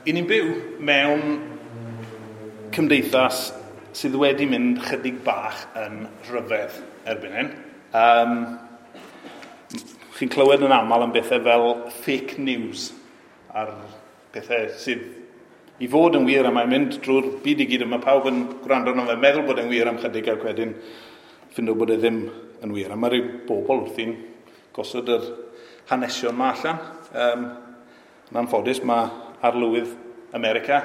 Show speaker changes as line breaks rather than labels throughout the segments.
I ni'n byw mewn cymdeithas sydd wedi mynd chydig bach yn rhyfedd erbyn hyn. Chi'n clywed yn aml am bethau fel fake news a'r pethau sydd i fod yn wir a mae'n mynd drwy'r byd i gyd a mae pawb yn gwrando arno fe, meddwl bod e'n wir am chydig ac wedyn ffindo bod e ddim yn wir. A mae rhyw bobl wrthi'n gosod yr hanesion ma allan. Yn anffodus, mae arlywydd America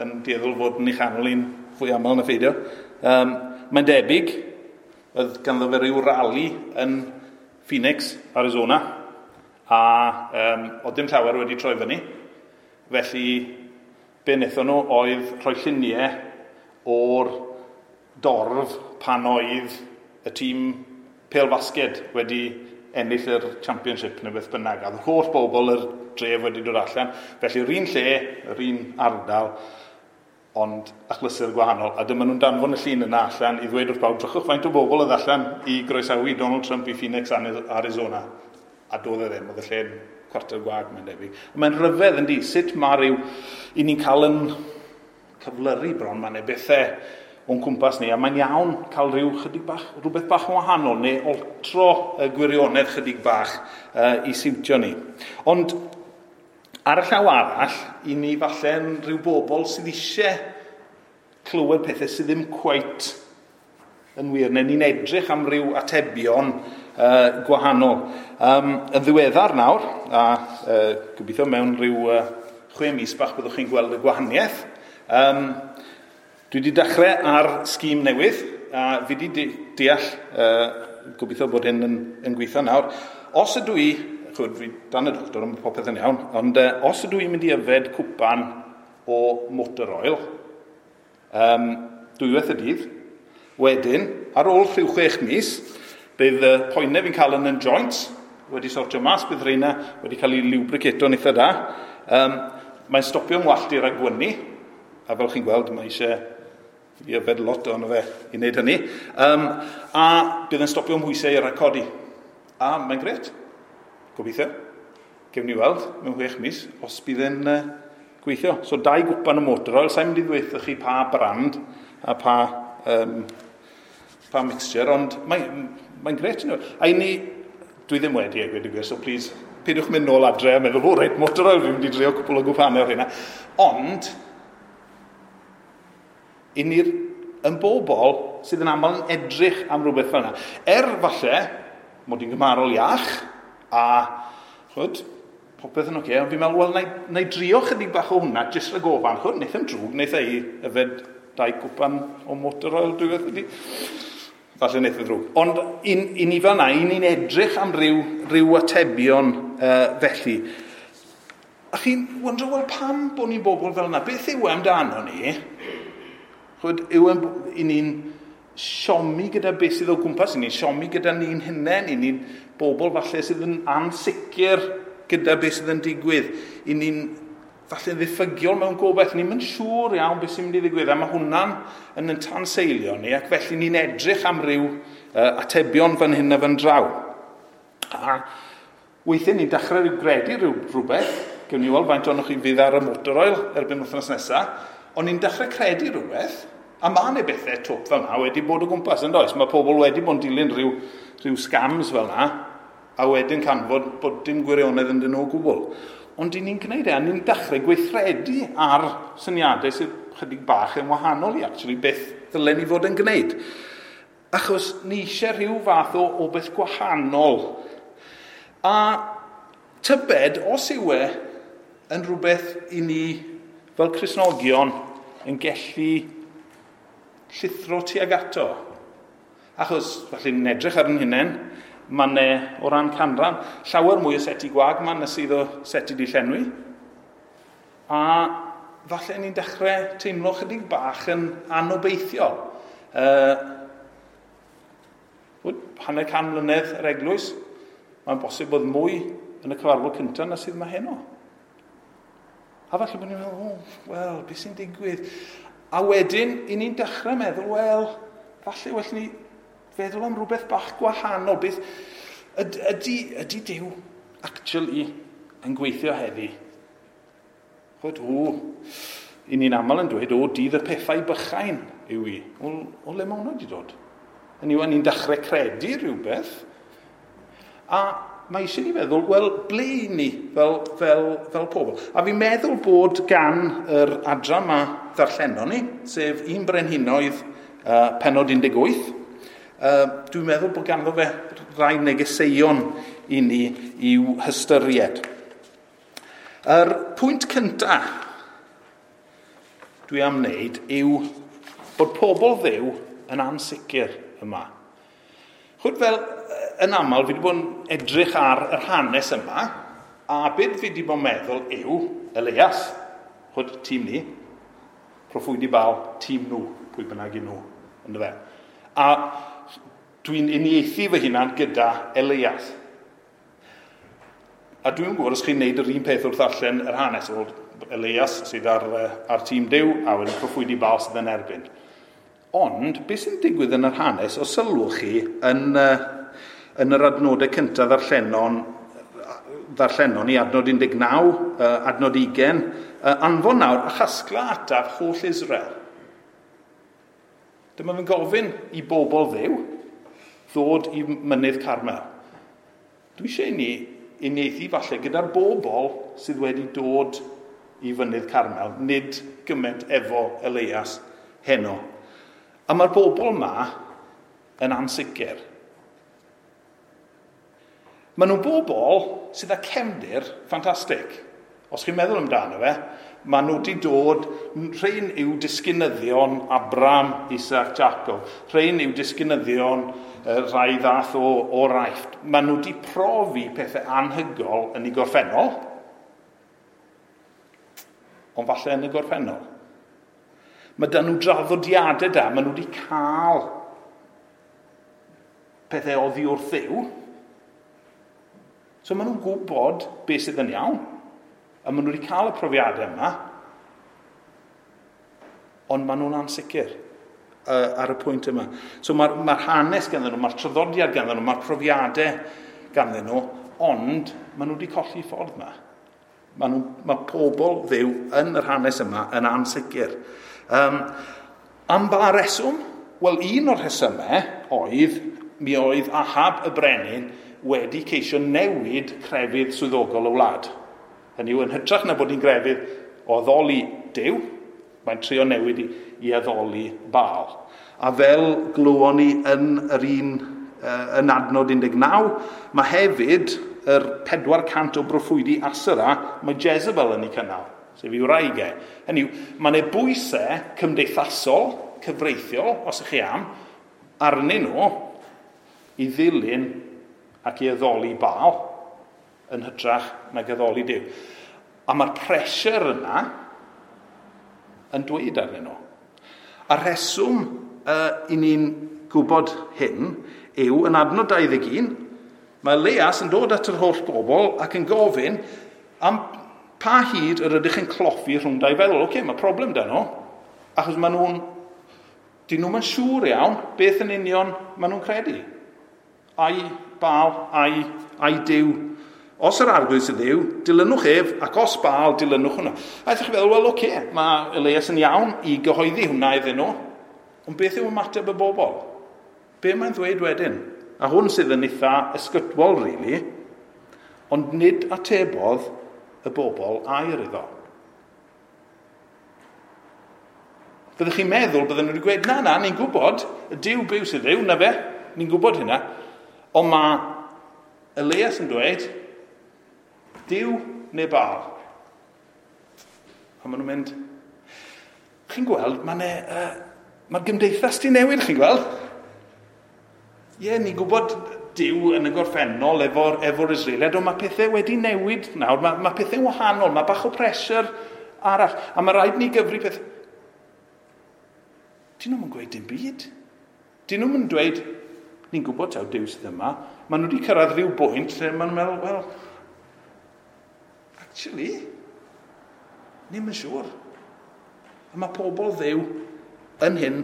yn dueddol fod yn ei chanol hi'n fwy aml na pheidio. Mae'n debyg, oedd ganddo fe ryw rali yn Phoenix, Arizona, a oedd dim llawer wedi troi fyny. Felly, be wnaethon nhw oedd rhoi lluniau o'r dorf pan oedd y tîm pêl-fasged wedi ennill yr championship neu beth bynnag. A oedd holl bobl yr dref wedi dod allan. Felly, yr un lle, yr un ardal, ond achlysur gwahanol. A dyma nhw'n danfon y llun yna allan i ddweud wrth bawb, drychwch faint o bobl oedd allan i groesawu Donald Trump i Phoenix, Arizona. A doedd e ddim, oedd y lle'n cwarter gwag, mae'n debyg. Mae'n rhyfedd yndi, sut mae rhyw, i ni'n cael yn cyflyru bron, mae'n bethau o'n cwmpas ni, a mae'n iawn cael rhyw chydig bach, rhywbeth bach yn wahanol, neu oltro y gwirionedd chydig bach i siwtio ni. Ond ar y llaw arall, i ni falle'n rhyw bobl sydd eisiau clywed pethau sydd ddim cweit yn wir, neu ni'n edrych am ryw atebion gwahanol. Yn ddiweddar nawr, a gobeithio mewn rhyw 6 mis bach byddwch chi'n gweld y gwahaniaeth, dwi wedi dechrau ar sgîm newydd, a fi wedi deall, gobeithio bod hyn yn gweithio nawr. Os ydw i, chwyd, fi dan y doctor, ond popeth yn iawn, ond os ydw i'n mynd i yfed cwpan o motor oil, dwywaith y dydd, wedyn, ar ôl rhyw 6 mis, bydd y poenau fi'n cael yn y joints wedi sortio mas, bydd rheina wedi cael ei lubricato'n eitha da. Mae'n stopio ngwallt i rhag gwynu, a fel chi'n gweld, mae eisiau i yfed lot ohono fe i wneud hynny. A bydd yn stopio mhwysau i rhag codi. A mae'n gret. Gobeithio. Gewn ni weld mewn 6 mis os bydd yn gweithio. So 2 gwpan o motor oil. Sa'n mynd i ddweud chi pa brand a pa mixture, ond mae'n gret. A i ni, dwi ddim wedi a gweud y gwir, so please, peidiwch mynd nôl adre a meddwl, o reit, motor oil, fi'n mynd i drio cwpl o gwpanau o'r hynna. Ond, i ni'r yn bobl sydd yn aml yn edrych am rhywbeth fel yna. Falle, mod i'n gymharol iach, a chwyd, popeth yn oce, ond fi'n meddwl, wel, na i drio chydig bach o hwnna, jyst rhag ofan, chwyd, wnaeth e'n drwg, wnaeth e i yfed 2 cwpan o motor oil, dwi'n meddwl, falle wnaeth e ddrwg. Ond i ni fel yna, i ni'n edrych am ryw atebion felly. A chi'n wondro, wel, pam bod ni'n bobl fel yna? Beth yw e amdano ni? Chwyd, yw i ni'n siomi gyda beth sydd o gwmpas, i ni'n siomi gyda ni'n hunain, i ni'n bobl falle sydd yn ansicr gyda beth sydd yn digwydd, i ni'n falle ddiffygiol mewn gobaith, ni'n mynd siŵr iawn beth sy'n mynd i ddigwydd, a mae hwnna'n yn tanseilio ni, ac felly ni'n edrych am ryw atebion fan hyn a fan draw. A weithiau ni'n dechrau rhyw gredu rhywbeth, gewn ni weld faint ohonoch chi fydd ar y motor oil erbyn wythnos nesaf, ond ni'n dechrau credu rhywbeth, a mae yna bethau twp fel yna wedi bod o gwmpas, yn does? Mae pobl wedi bod yn dilyn rhyw scams fel yna, a wedyn canfod bod dim gwirionedd ynddyn nhw o gwbl. Ond i ni'n gwneud e, a ni'n dechrau gweithredu ar syniadau sydd chydig bach yn wahanol i actually beth ddylen ni fod yn gwneud. Achos ni eisiau rhyw fath o beth gwahanol. A tybed, os yw e yn rhywbeth i ni fel Cristnogion yn gallu llithro tuag ato. Achos, falle ni'n edrych ar yn hunain, mae ne, o ran canran, llawer mwy o seti gwag ma na sydd o seti di llenwi. A falle ni'n dechrau teimlo chydig bach yn anobeithiol. 150 mlynedd yr eglwys, mae'n bosib bod mwy yn y cyfarfod cyntaf na sydd yma heno. A falle bod ni'n meddwl, oh, wel, beth sy'n digwydd? A wedyn, i ni'n dechrau meddwl, wel, falle well ni feddwl am rhywbeth bach gwahanol. Beth ydy Duw actually yn gweithio heddi? Chwyd, o, i ni'n aml yn dweud, o, dydd y pethau bychain yw i. O le mae hwnna wedi dod? Hynny yw, ni'n dechrau credu rhywbeth, a mae eisiau ni feddwl, wel, ble i ni fel pobl? A fi'n meddwl bod gan yr adran yma ddarllenon ni, sef 1 Brenhinoedd penod 18, dwi'n meddwl bod ganddo fe rai negeseuon i ni i'w hystyried. Yr pwynt cyntaf dwi am wneud yw bod pobl Dduw yn ansicr yma. Chwyd fel yn aml, fi wedi bod yn edrych ar yr hanes yma, a beth fi wedi bod yn meddwl yw Elias, chwyd tîm ni, proffwydi Baal, tîm nhw, pwy bynnag i nhw, ynddo fe. A dwi'n uniaethu fy hunan gyda Elias. A dwi'n gwybod os chi'n neud yr un peth wrth ddarllen yr hanes, o Elias sydd ar tîm Duw, a wedyn proffwydi Baal sydd yn erbyn. Ond, beth sy'n digwydd yn yr hanes, os sylwch chi, yn yr adnodau cyntaf ddarllenon ni, adnod 19, adnod 20, anfon nawr a chasgla ataf holl Israel. Dyma fe'n gofyn i bobl Dduw ddod i mynydd Carmel. Dwi eisiau i ni uniaethu falle gyda'r bobl sydd wedi dod i fynydd Carmel, nid gymaint efo Elias heno. A mae'r bobl yma yn ansicr. Maen nhw'n bobl sydd â cefndir ffantastig. Os chi'n meddwl amdano fe, maen nhw wedi dod, rhain yw disgynyddion Abraham, Isaac, Jacob. Rhain yw disgynyddion rhai ddath o'r Aifft. Maen nhw wedi profi pethau anhygol yn eu gorffennol, ond falle yn y gorffennol. Mae dyn nhw draddodiadau da, maen nhw wedi cael pethau oddi wrth Dduw. So maen nhw'n gwybod beth sydd yn iawn, a maen nhw wedi cael y profiadau yma, ond maen nhw'n ansicr ar y pwynt yma. So mae'r hanes ganddyn nhw, mae'r traddodiad ganddyn nhw, mae'r profiadau ganddyn nhw, ond maen nhw wedi colli ffordd yma. Mae pobl Dduw yn yr hanes yma yn ansicr. Am ba reswm? Wel, un o'r rhesymau oedd, mi oedd Ahab y brenin wedi ceisio newid crefydd swyddogol y wlad. Hynny yw, yn hytrach na bod hi'n grefydd o addoli Duw, mae'n trio newid i addoli Baal. A fel glywon ni yn yr un yn adnod 19, mae hefyd yr 400 o broffwydi Asera, mae Jezebel yn ei cynnal, sef ei wraig e. Hynny yw, mae yna bwysau cymdeithasol, cyfreithiol, os ych chi am, arnyn nhw i ddilyn ac i addoli Baal yn hytrach nag addoli Duw. A mae'r pressure yna yn dweud arnyn nhw. A rheswm i ni'n gwybod hyn yw, yn adnod 21, mae Elias yn dod at yr holl bobl ac yn gofyn am pa hyd yr ydych yn cloffi rhwng dau feddwl. Oce, mae problem da nhw, achos maen nhw'n, dyn nhw'n siŵr iawn beth yn union maen nhw'n credu. Ai Baal, ai Duw. Os yr arglwydd sydd Dduw, dilynwch ef, ac os Baal, dilynwch hwnna. A ydych chi'n feddwl, wel, oce, mae Elias yn iawn i gyhoeddi hwnna iddyn nhw, ond beth yw ymateb y bobl? Be mae'n ddweud wedyn? A hwn sydd yn eitha ysgytwol, really, ond nid atebodd y bobl air iddo. Byddwch chi'n meddwl, bydden nhw wedi gweud, na, ni'n gwybod, y Duw byw sydd Dduw, na fe, ni'n gwybod hynna. Ond mae Elias yn dweud, Duw neu Baal. A maen nhw'n mynd, chi'n gweld, mae'r gymdeithas di newid, chi'n gweld? Ie, ni'n gwybod Duw yn y gorffennol efo'r Israeliad, ond mae pethau wedi newid nawr, mae pethau'n wahanol, mae bach o pressure arall, a mae rhaid ni gyfri peth. Dyn nhw'n gweud dim byd. Dyn nhw'n dweud, ni'n gwybod taw Duw sydd yma. Maen nhw wedi cyrraedd rhyw bwynt lle maen nhw'n meddwl, wel, actually, ni'n yn siŵr. A mae pobl Dduw yn hyn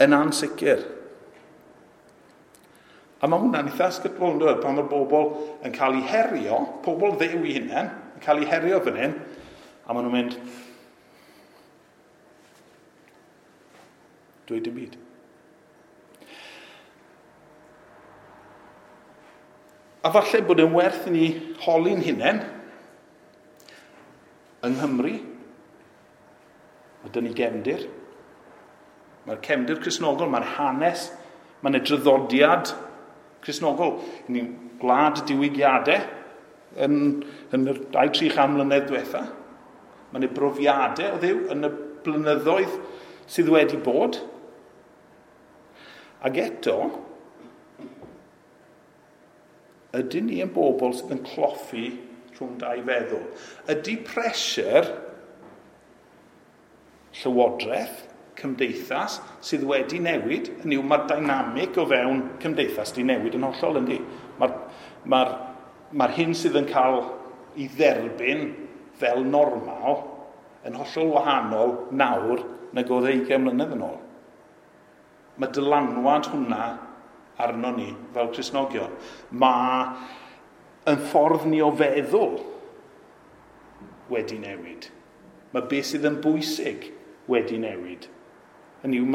yn ansicr. A mae hwnna'n eitha ysgytwol, yn dweud, pan mae'r bobl yn cael eu herio, pobl Dduw i hunain, yn cael eu herio fan hyn, A maen nhw'n mynd, dweud dim byd. A falle bod yn werth i ni holi'n hunain yng Nghymru. Mae dyn ni gefndir. Mae'r cefndir Cristnogol, mae'r hanes, mae'n y draddodiad Cristnogol. Ni'n gwlad diwygiadau yn yr 200-300 mlynedd diwetha. Mae'n y brofiadau o Dduw yn y blynyddoedd sydd wedi bod. Ac eto, ydyn ni yn bobl sydd yn cloffi rhwng dau feddwl? Ydy pressure llywodraeth, cymdeithas sydd wedi newid? Hynny yw, mae'r dynamic o fewn cymdeithas di newid yn hollol, yndi? Mae'r hyn sydd yn cael ei dderbyn fel normal yn hollol wahanol nawr nag oedd 20 mlynedd yn ôl. Mae dylanwad hwnna arno ni fel Cristnogion. Mae yn ffordd ni o feddwl wedi newid. Mae beth sydd yn bwysig wedi newid. Hynny yw,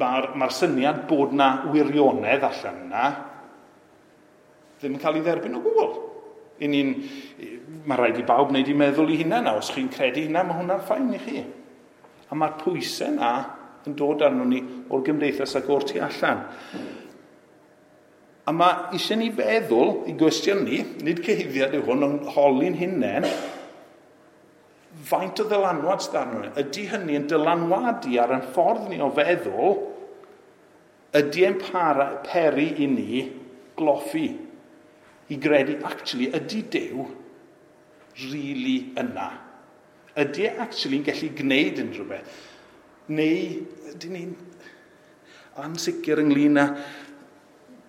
mae'r syniad bod na wirionedd allan yna ddim yn cael ei dderbyn o gwbl. Mae rhaid i bawb wneud i meddwl i hunain. Os chi'n credu hynna, mae hwnna'n fine i chi. A mae'r pwysau yna yn dod arno ni o'r gymdeithas ac o'r tu allan. A mae eisiau ni feddwl i gwestiynu, nid cyhuddiad yw hwn, ond holi'n hunain, faint o ddylanwad sydd arno ni? Ydy hynny yn dylanwadu ar ein ffordd ni o feddwl? Ydy e'n peri i ni gloffi, i gredu, actually, ydy Duw really yna? Ydy e actually yn gallu gwneud unrhyw beth? Neu ydy ni'n ansicr ynglyn â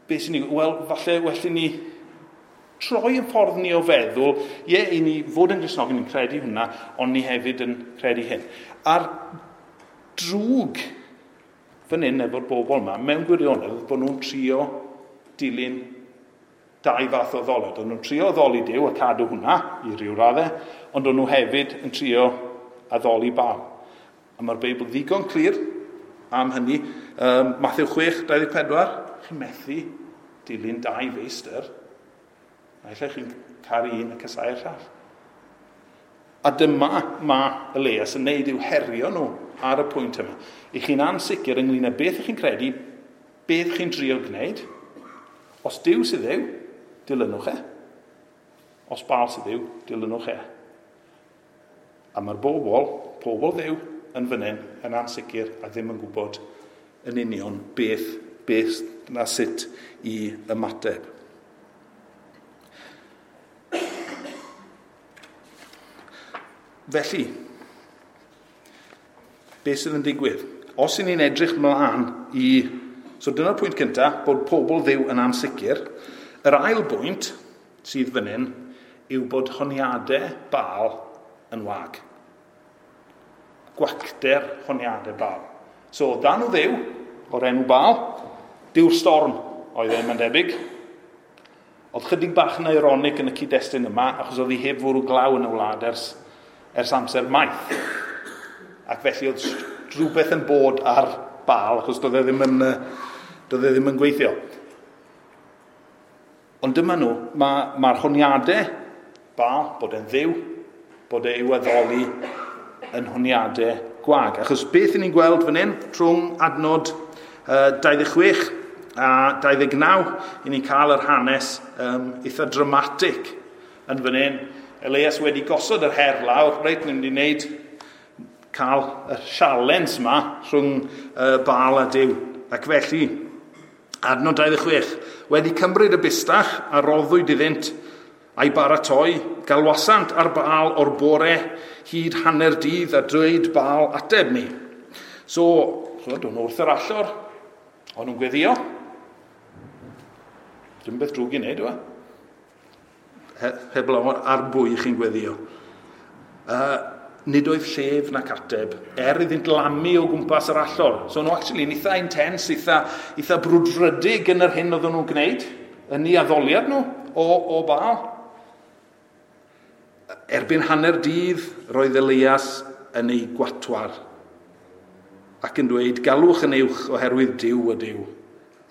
beth sy'n ni... Wel, falle well i ni troi yn ffordd ni o feddwl, ie, i ni fod yn Gristnogion, ni'n credu hwnna, ond ni hefyd yn credu hyn. A'r drwg fan hyn efo'r bobl yma, mewn gwirionedd, bod nhw'n trio dilyn dau fath o addoliad. O'n nhw'n trio addoli Duw a cadw hwnna i ryw raddau, ond o'n nhw hefyd yn trio addoli Baal. A mae'r Beibl ddigon clir am hynny. Mathew 6:24, chi'n methu dilyn dau feistr. Naill ai chi'n caru un a casáu'r llall. A dyma mae Elias yn neud yw herio nhw ar y pwynt yma. I chi'n ansicr ynglyn â beth chi'n credu, beth chi'n drio gwneud. Os Duw sydd Dduw, dilynwch e. Os Baal sydd Dduw, dilynwch e. A mae'r pobl Dduw yn fan hyn, yn ansicr a ddim yn gwybod yn union beth na sut i ymateb. Felly, beth sydd yn digwydd? Os y'n ni'n edrych mlaen i... So dyna'r pwynt cyntaf, bod pobl Dduw yn ansicr. Yr ail bwynt sydd fan hyn yw bod honiadau Baal yn wag. Gwacter honiadau Baal. So, dan o Dduw, o'r enw Baal, Duw'r storm oedd e, mae'n debyg. Oedd chydig bach yn ironic yn y cyd-destun yma, achos oedd hi heb fwrw glaw yn y wlad ers amser maith. Ac felly oedd rhywbeth yn bod ar Baal, achos doedd e ddim yn gweithio. Ond dyma nhw, mae'r honiadau Baal, bod e'n Dduw, bod e i'w addoli yn honiadau gwag. Achos beth ni'n gweld fan hyn, rhwng adnod 26 a 29, i ni'n cael yr hanes eitha dramatic yn fan hyn. Elias wedi gosod yr her lawr, reit, ni'n mynd i wneud cael y sialens yma rhwng Baal a Duw. Ac felly, adnod 26, wedi cymryd y bustach a roddwyd iddynt a'i baratoi, galwasant ar Baal o'r bore hyd hanner dydd a dweud Baal ateb ni. So, chwyd, o'n wrth yr allor, o'n nhw'n gweddio. Dim beth drwg i wneud, yw e? Heblaw ar bwy chi'n gweddio. Nid oedd llef nac ateb, iddynt lamu o gwmpas yr allor. So nhw actually yn eitha intense, eitha brwdfrydig yn yr hyn oedden nhw'n gwneud, yn ei addoliad nhw o Baal. Erbyn hanner dydd, roedd Elias yn ei gwatwar ac yn dweud, galwch yn uwch oherwydd Duw ydyw.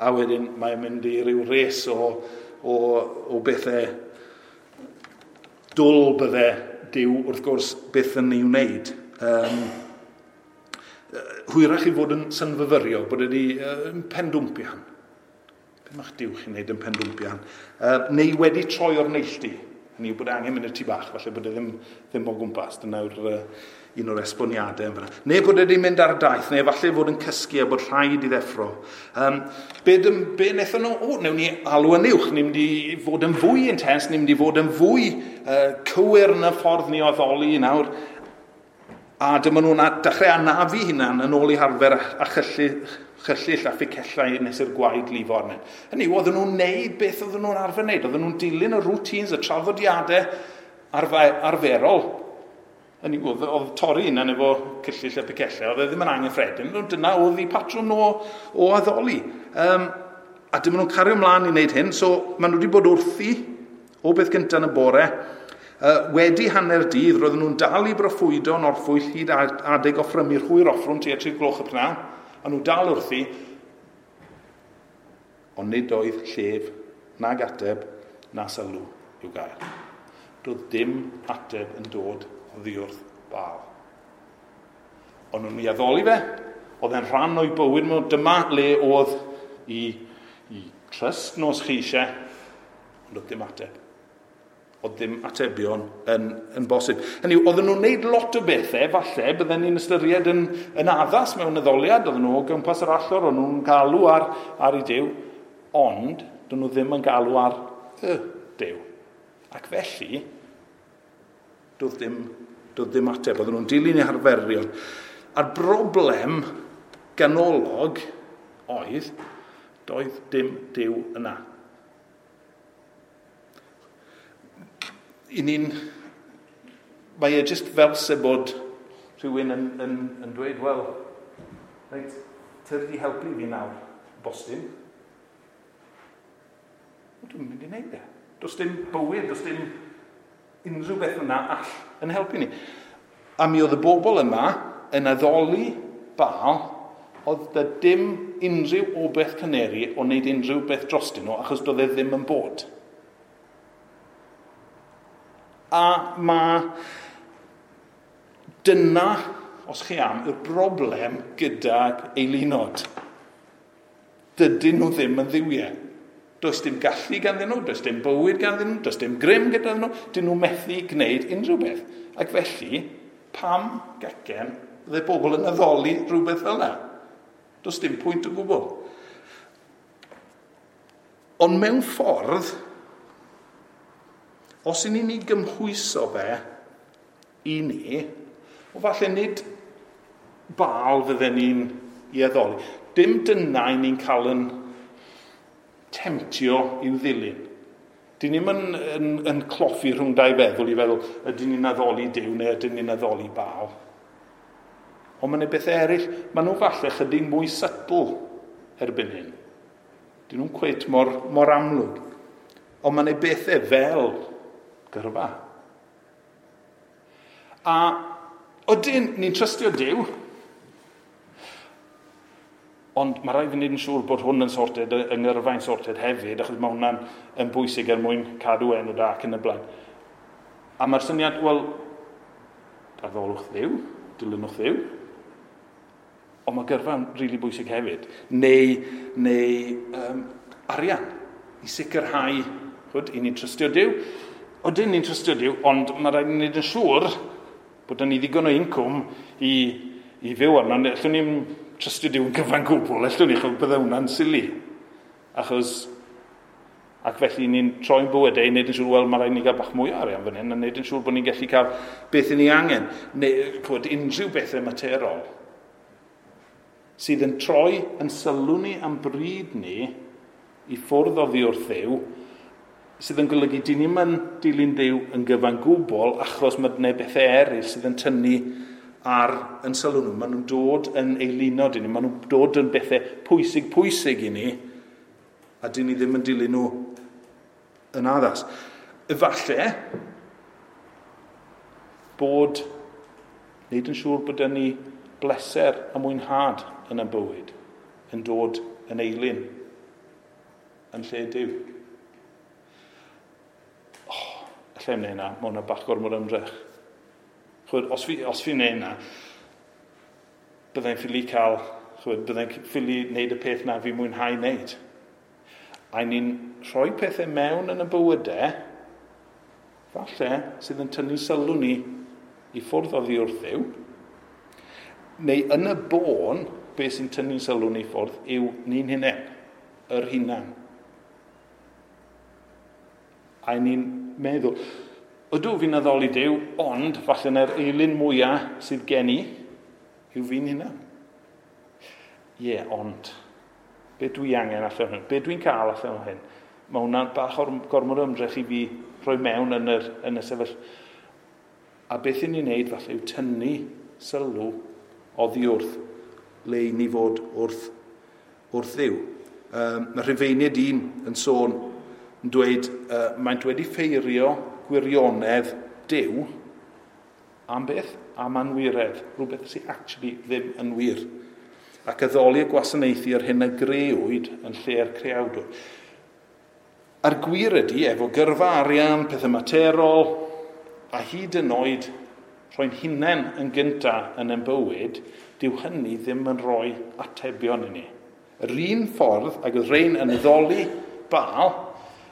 A wedyn mae'n mynd i ryw res o bethau dwl bydde Duw wrth gwrs byth yn ei wneud. Hwyrach i fod yn synfyfyrio, bod wedi pendwmpian. Be mae'ch Duw chi'n wneud yn pendwmpian? Neu wedi troi o'r neilltu. Hynny yw bod angen mynd i'r tŷ bach, falle bod e ddim o gwmpas. Dyna yw'r un o'r esboniadau yn fan'na. Neu bod e wedi mynd ar daith, neu falle fod yn cysgu a bod rhaid i ddeffro. Be wnaethon nhw? O, newn ni alw yn uwch, ni'n mynd i fod yn fwy intense, ni'n mynd i fod yn fwy cywir yn y ffordd ni o addoli nawr. A dyma nhw'n dechrau anafu hunan yn ôl i harfer a chyllill a fficellau nes i'r gwaed lifo arnyn. Hynny yw, oedden nhw'n neud beth oedden nhw'n arfer wneud. Oedden nhw'n dilyn y routines, y traddodiadau arferol. Hynny yw, oedd torri hunan efo cyllill a picellau, oedd e ddim yn anghyffredin. Dyna oedd eu patrwm nhw o addoli. A dyma nhw'n cario ymlaen i wneud hyn, so maen nhw wedi bod wrthi o beth gyntaf yn y bore. Wedi hanner dydd, roedden nhw'n dal i broffwydo yn orffwyll hyd adeg offrymu'r hwyr offrwm tua 3 gloch y prynhawn. A nhw dal wrthi, ond nid oedd llef nag ateb na sylw i'w gael. Doedd dim ateb yn dod oddi wrth Baal. Ond nhw'n ei addoli fe, oedd e'n rhan o'i bywyd nhw, dyma le oedd i trust nos chi eisiau, ond oedd dim ateb. Oedd ddim atebion yn bosib. Hynny yw, oedden nhw'n gwneud lot o bethau, falle, bydden ni'n ystyried yn addas mewn addoliad, oedden nhw o gwmpas yr allor, oedden nhw'n galw ar ei Duw, ond dyn nhw ddim yn galw ar y Duw. Ac felly, doedd ddim ateb, oedden nhw'n dilyn eu harferion. A'r broblem ganolog oedd, doedd dim Duw yna. Mae e jyst fel se bod rhywun yn dweud, wel, reit, tyrd i helpu fi nawr, bostyn. Dwi'n mynd i wneud e. Does dim bywyd, does dim unrhyw beth yna all yn helpu ni. A mi oedd y bobl yma yn addoli Baal, oedd da dim unrhyw obaith caneri o wneud unrhyw beth drostyn nhw, achos doedd e ddim yn bod. A mae dyna, os chi am, yw'r broblem gydag eilunod. Dydyn nhw ddim yn dduwiau. Does dim gallu ganddyn nhw, does dim bywyd ganddyn nhw, does dim grym gyda nhw, dyn nhw methu gwneud unrhyw beth. Ac felly, pam gecen fydde bobl yn addoli rhywbeth fel yna? Does dim pwynt o gwbl. Ond mewn ffordd, os i ni'n gymhwyso fe i ni, o falle nid Baal fydden ni'n i addoli. Dim dyna i ni'n cael yn temtio i'w ddilyn. Dyn ni'm yn cloffi rhwng dau feddwl i feddwl ydyn ni'n addoli Duw neu ydyn ni'n addoli Baal. Ond mae yna bethau eraill, maen nhw falle chydig mwy subtle erbyn hyn. Dyn nhw'n cweit mor amlwg. Ond mae yna bethau fel gyrfa. A odyn ni'n trystio Duw, ond mae rhaid i ni wneud yn siŵr bod hwn yn sorted, yng ngyrfa'n sorted hefyd, achos mae hwnna'n yn bwysig er mwyn cadw enw da ac yn y blaen. A mae'r syniad, wel, addolwch Dduw, dilynwch Dduw, ond mae gyrfa'n rili bwysig hefyd. Neu arian, i sicrhau, chwyd, i ni'n trystio Duw. Odyn ni'n trystio Duw, ond mae rhaid i ni wneud yn siŵr bod ni ddigon o incwm i fyw arno. Allwn ni'n trystio Duw yn gyfan gwbl, allwn ni, chos bydde hwnna'n silly. Achos, ac felly ni'n troi'n bywydau i wneud yn siŵr, wel, mae rhaid ni gael bach mwy o arian fan hyn, a wneud yn siŵr bod ni'n gallu cael beth i ni angen. Neu, chwyd, unrhyw bethau materol sydd yn troi yn sylw ni am bryd ni i ffwrdd oddi wrth Dduw, sydd yn golygu dyn ni'm yn dilyn Duw yn gyfan gwbl, achos mae yna bethau eraill sydd yn tynnu ar yn sylw nhw. Maen nhw'n dod yn eilunod i ni, maen nhw'n dod yn bethau pwysig i ni, a dyn ni ddim yn dilyn nhw yn addas. Efallai, Bod, wneud yn siŵr bod ni bleser a mwynhad yn y bywyd yn dod yn eilun yn lle Duw. Oh, allai wneud hynna, mae hwnna bach gormod ymdrech. Chwyd, os fi'n wneud hynna, byddai'n ffili cael, chwyd, byddai'n ffili wneud y peth na fi mwynhau wneud. A ni'n rhoi pethau mewn yn y bywydau, falle, sydd yn tynnu sylw ni i ffwrdd oddi wrth Dduw, neu yn y bôn, beth sy'n tynnu sylw ni ffwrdd yw ni'n hunain, yr hunan. A ni'n meddwl, ydw fi'n addoli Duw, ond falle na'r eilun mwyaf sydd gen i yw fi'n hunan. Ie, ond, be dwi angen allan hyn? Be dwi'n cael allan o hyn? Mae hwnna'n bach o'r gormod o ymdrech i fi rhoi mewn yn y sefyllfa. A beth i ni'n neud falle yw tynnu sylw oddi wrth le i ni fod wrth Dduw. Mae Rhufeiniaid 1 yn sôn yn dweud, maent wedi ffeirio gwirionedd Duw am beth? Am anwiredd, rhywbeth sydd actually ddim yn wir. Ac addoli a gwasanaethu yr hyn a grëwyd yn lle'r creawdwr. A'r gwir ydy, efo gyrfa arian, pethau materol, a hyd yn oed rhoi'n hunain yn gynta yn ein bywyd, dyw hynny ddim yn rhoi atebion i ni. Yr un ffordd, ac oedd rhain yn addoli Baal,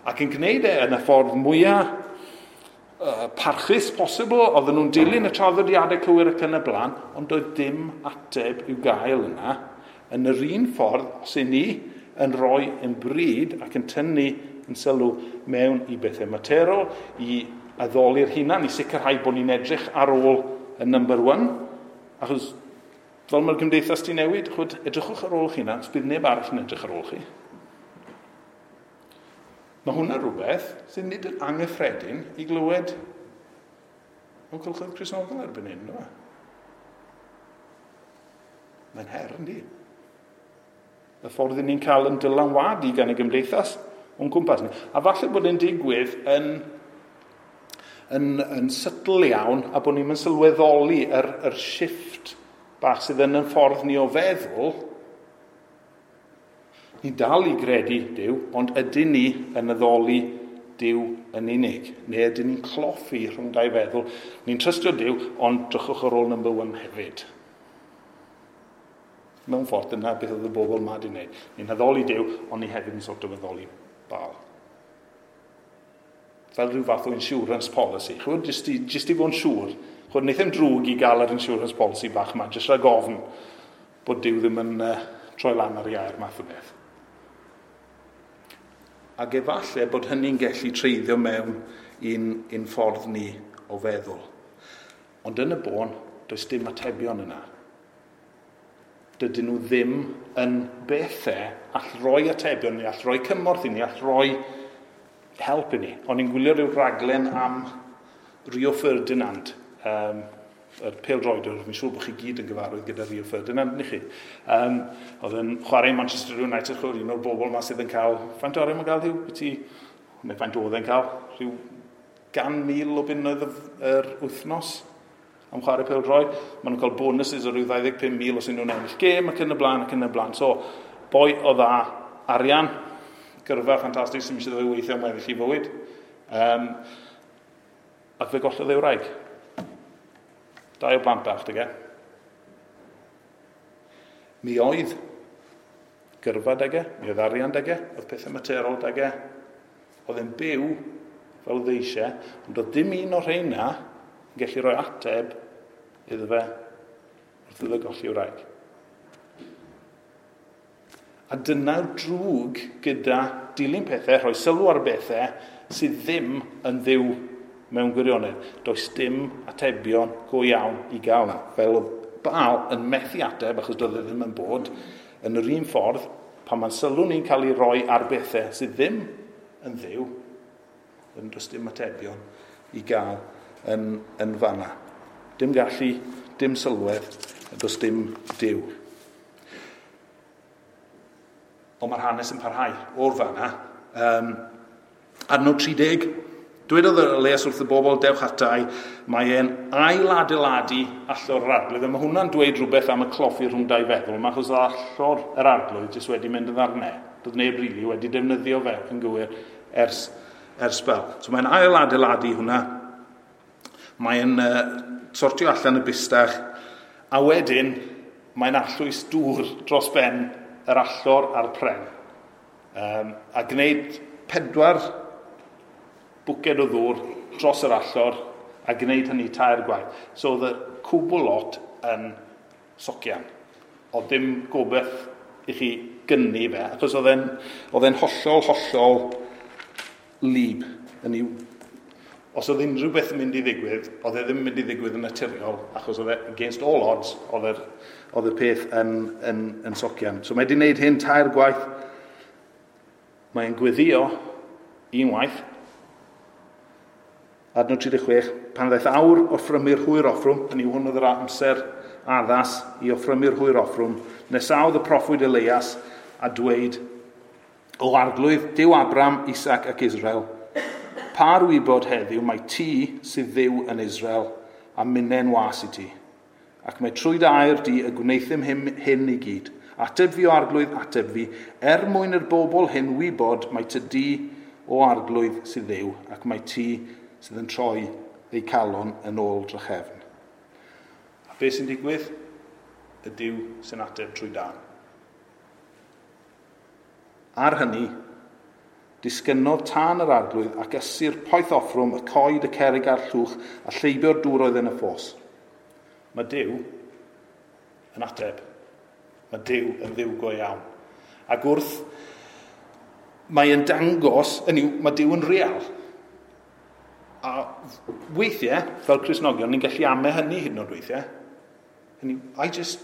ac yn gwneud e yn y ffordd mwyaf parchus posibl, oedden nhw'n dilyn y traddodiadau cywir ac yn y blaen, ond doedd dim ateb i'w gael yna. Yn yr un ffordd, os y ni yn rhoi yn bryd ac yn tynnu yn sylw mewn i bethau materol, i addoli'r hunan, i sicrhau bod ni'n edrych ar ôl y number one, achos fel mae'r gymdeithas di newid, chwyd, edrychwch ar ôl eich hunan, bydd neb arall yn edrych ar ôl chi. Mae hwnna rhywbeth sydd nid yn anghyffredin i glywed mewn cylchoedd Cristnogol erbyn hyn, ynddo? Mae'n her, yndi? Y ffordd ni'n cael yn dylanwadu gan y gymdeithas o'n cwmpas ni. A falle bod e'n digwydd yn subtle iawn a bod ni'n sylweddoli yr shift bach sydd yn y ffordd ni o feddwl. Ni dal i gredu Duw, ond ydyn ni yn addoli Duw yn unig? Neu ydyn ni'n cloffi rhwng dau feddwl? Ni'n trystio Duw, ond drychwch ar ôl number one hefyd. Mewn ffordd, dyna beth oedd y bobl yma wedi wneud. Ni'n addoli Duw, ond ni hefyd yn sort of addoli Baal. Fel rhyw fath o insurance policy. Chwyd, jyst i fod yn siŵr. Chwyd, wnaeth e'n drwg i gael yr insurance policy bach yma, jyst rhag ofn bod Duw ddim yn troi lan ar ei air math o beth. Ac efallai bod hynny'n gallu treiddio mewn i'n ffordd ni o feddwl. Ond yn y bôn, does dim atebion yna. Dydyn nhw ddim yn bethau all roi atebion ni, all roi cymorth i ni, all roi help i ni. O'n i'n gwylio rhyw raglen am Rio Ferdinand, yr pêl-droedwr, fi'n siŵr bod chi gyd yn gyfarwydd gyda Rio Ferdinand, ni chi. Oedd yn chwarae Manchester United, chwarae un o'r bobl yma sydd yn cael, faint o arian mae'n cael rhyw, neu faint oedd e'n cael, rhyw 100,000 o bunnoedd yr wythnos am chwarae pêl-droed. Maen nhw'n cael bonuses o ryw 25,000 os nhw'n ennill gêm ac yn y blaen ac yn y blaen. So, boi o dda arian, gyrfa ffantastig sy'n eisiau ddo weithio am weddill i fywyd. Ac fe gollodd ei wraig. Dau o blant bach, dyge. Mi oedd gyrfa dyge, mi oedd arian dyge, oedd pethau materol dyge. Oedd e'n byw fel oedd eisiau, ond oedd dim un o'r rheina yn gallu rhoi ateb iddo fe wrth iddo golli wraig. A dyna'r drwg gyda dilyn pethau, rhoi sylw ar bethau sydd ddim yn ddiw mewn gwirionedd. Does dim atebion go iawn i gael na. Fel oedd Baal yn methu ateb, achos doedd e ddim yn bod, yn yr un ffordd, pan mae'n sylw ni'n cael ei roi ar bethau sydd ddim yn ddiw, yn does dim atebion i gael yn fanna. Dim gallu, dim sylwedd, does dim Duw. Ond mae'r hanes yn parhau o'r fanna. Adnod 30, Dwedodd Elias wrth y bobl, dewch atai, mae e'n ailadeiladu allor yr arglwydd. A mae hwnna'n dweud rhywbeth am y cloffi rhwng dau feddwl, mae achos allor yr arglwydd jyst wedi mynd yn ddarnau. Doedd neb rili wedi defnyddio fe yn gywir ers spel. So mae'n ailadeiladu hwnna. Mae'n sortio allan y bustach. A wedyn, mae'n arllwys dŵr dros ben yr allor a'r pren. A gwneud 4 bwced o ddŵr dros yr allor a gwneud hynny 3 gwaith. So oedd y cwbl lot yn socian. Oedd dim gobeith i chi gynnu fe, achos oedd e'n hollol, hollol lib. Os oedd unrhyw beth yn mynd i ddigwydd, oedd e ddim yn mynd i ddigwydd yn naturiol, achos oedd e against all odds, oedd y peth yn socian. So mae wedi gwneud hyn 3 gwaith. Mae'n gweddio unwaith. Adnod 36, pan ddaeth awr offrymu'r hwyr offrwm, hynny yw hwn oedd yr amser addas i offrymu'r hwyr offrwm, nesaodd y proffwyd Elias a dweud, o arglwydd, Duw Abraham, Isaac ac Israel, par wybod heddiw mae ti sydd Dduw yn Israel a minnen was i ti. Ac mae trwy dy air di y gwnaethum hyn i gyd. Ateb fi o arglwydd, ateb fi, er mwyn i'r bobl hyn wybod mae ty di o arglwydd sydd Dduw, ac mae ti sydd yn troi eu calon yn ôl drachefn. A beth sy'n digwydd? Y Duw sy'n ateb trwy dân. Ar hynny, disgynnodd tân yr arglwydd ac ysu'r poeth offrwm, y coed, y cerrig a'r llwch, a lleibio'r dŵr oedd yn y ffos. Mae Duw yn ateb. Mae Duw yn Dduw go iawn. Ac wrth, mae yn dangos, hynny yw, mae Duw yn real. A weithiau, fel Cristnogion, ni'n gallu amau hynny hyd yn oed weithiau. Hynny, I just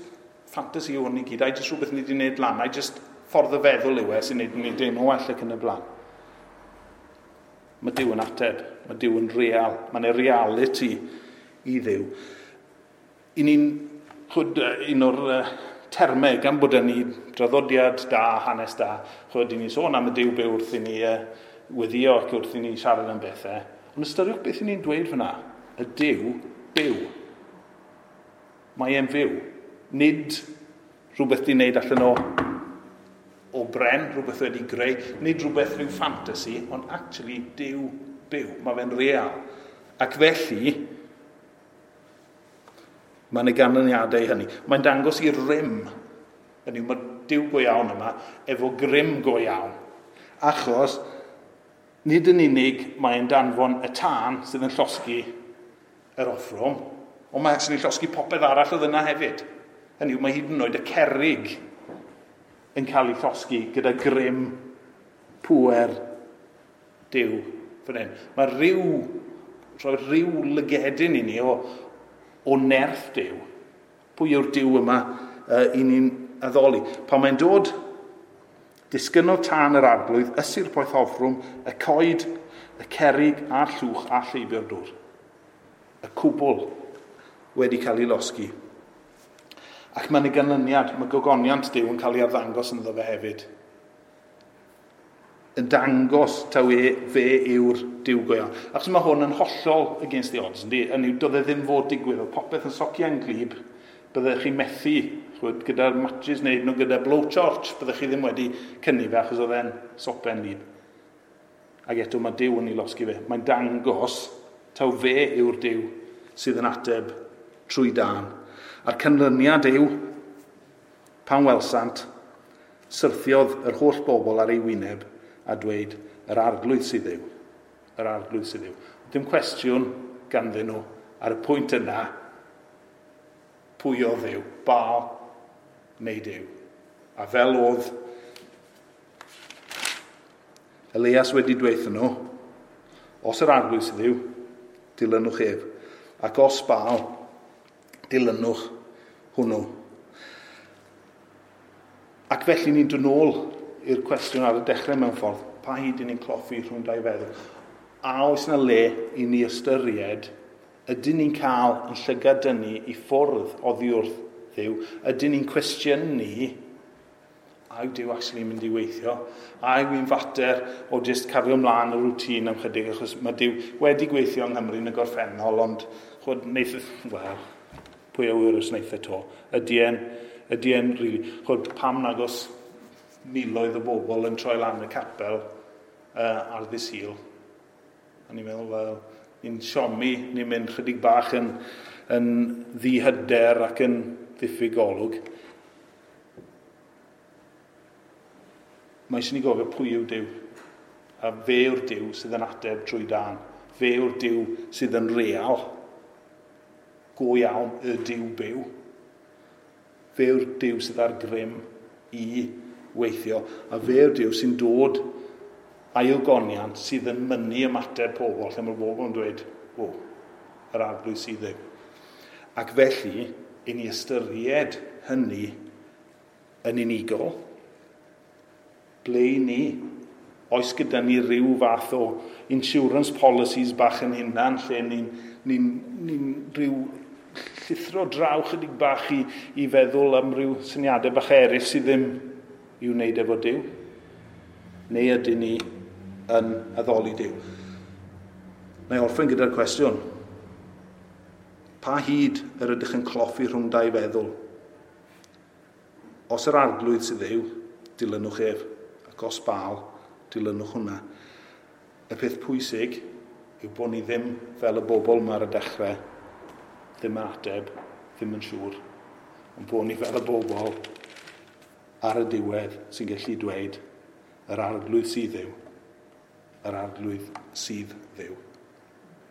fantasy yw hwn i gyd, I just rhywbeth ni wedi gwneud lan, I just ffordd o feddwl yw e sy'n gwneud ni deimlo well ac yn y blaen. Mae Duw yn ateb, mae Duw yn real, mae'n e reality i Dduw. I ni'n, chwyd, un o'r termau, gan bod ni draddodiad da, hanes da, chwyd, i ni'n sôn am y Duw byw wrth i ni weddio ac wrth i ni siarad am bethau. Ond ystyriwch beth i ni'n dweud fyna. Y Duw byw. Mae e'n fyw. Nid rhywbeth di'n neud allan o bren, rhywbeth wedi greu, nid rhywbeth rhyw fantasy, ond actually Duw byw. Mae fe'n real. Ac felly, mae'n y ganlyniadau hynny. Mae'n dangos i rym. Hynny, mae Duw go iawn yma, efo grym go iawn. Achos, nid yn unig mae'n danfon y tân sydd yn llosgi yr offrwm, ond mae actually llosgi popeth arall oedd yna hefyd. Hynny yw, mae hyd yn oed y cerrig yn cael ei llosgi gyda grym pŵer Duw fan hyn. Mae rhyw lygedyn i ni o nerth Duw. Pwy yw'r Duw yma i ni'n addoli? Pan mae'n dod, disgynnodd tân yr arglwydd, ysu'r poeth offrwm, y coed, y cerrig a'r llwch a lleibio'r dŵr. Y cwbl wedi cael ei losgi. Ac mae'n ei ganlyniad, mae gogoniant Duw yn cael ei arddangos ynddo fe hefyd. Yn dangos taw fe yw'r Duw go iawn. Achos mae hwn yn hollol against the odds, yndi? Hynny yw, doedd e ddim fod digwydd, oedd popeth yn socian glib, byddech chi methu, chwyd, gyda'r matches neu nhw gyda blowtorch, byddech chi ddim wedi cynnu fe achos oedd e'n sopen lib. Ac eto mae Duw yn ei losgi fe. Mae'n dangos taw fe yw'r Duw sydd yn ateb trwy dân. A'r canlyniad yw, pan welsant, syrthiodd yr holl bobl ar ei wyneb a dweud, yr arglwydd sydd yw. Yr arglwydd sydd yw. Dim cwestiwn ganddyn nhw ar y pwynt yna, pwy oedd Dduw, Baal neu Duw. A fel oedd Elias wedi dweud nhw, os yr arglwydd sydd yw, dilynwch ef. Ac os Baal, dilynwch hwnnw. Ac felly ni'n dod nôl i'r cwestiwn ar y dechrau mewn ffordd, pa hyd i ni'n cloffi rhwng dau feddwl? A oes yna le i ni ystyried, ydyn ni'n cael yn llygad dynnu i ffwrdd oddi wrth Dduw? Ydyn ni'n cwestiynu A yw Duw actually mynd i weithio? A yw hi'n fater o jyst cario ymlaen y rwtîn am chydig, achos mae Duw wedi gweithio yng Nghymru yn y gorffennol, ond chwod, wneith, wel, pwy a wyr os wneith e to. Ydy e'n, ydy e'n really, chwod, pam nag os miloedd o bobl yn troi lan y capel ar ddydd Sul? A ni'n meddwl, wel, ni'n siomi, ni'n mynd chydig bach yn ddihyder ac yn ddiffyg golwg. Mae eisiau ni gofio pwy yw Duw. A fe yw'r Duw sydd yn ateb trwy dân. Fe yw'r Duw sydd yn real. Go iawn, y Duw byw. Fe yw'r Duw sydd ar grym i weithio. A fe yw'r Duw sy'n dod ailgoniant sydd yn mynnu ymateb pobl, lle mae'r bobl yn dweud, o, yr Arglwydd sydd Dduw. Ac felly, i ni ystyried hynny yn unigol, ble i ni? Oes gyda ni ryw fath o insurance policies bach yn hunan, lle ni'n ni, ni rhyw llithro draw chydig bach i feddwl am ryw syniadau bach eraill sydd ddim i'w wneud efo Duw? Neu ydyn ni yn addoli Duw? Na i orffen gyda'r cwestiwn. Pa hyd yr ydych yn cloffi rhwng dau feddwl? Os yr Arglwydd sydd Dduw, dilynwch ef, ac os Baal, dilynwch hwnna. Y peth pwysig yw bod ni ddim fel y bobl yma ar y dechrau, ddim yn ateb, ddim yn siŵr, ond bod ni fel y bobl ar y diwedd sy'n gallu dweud, yr Arglwydd sydd Dduw, yr Arglwydd sydd Dduw.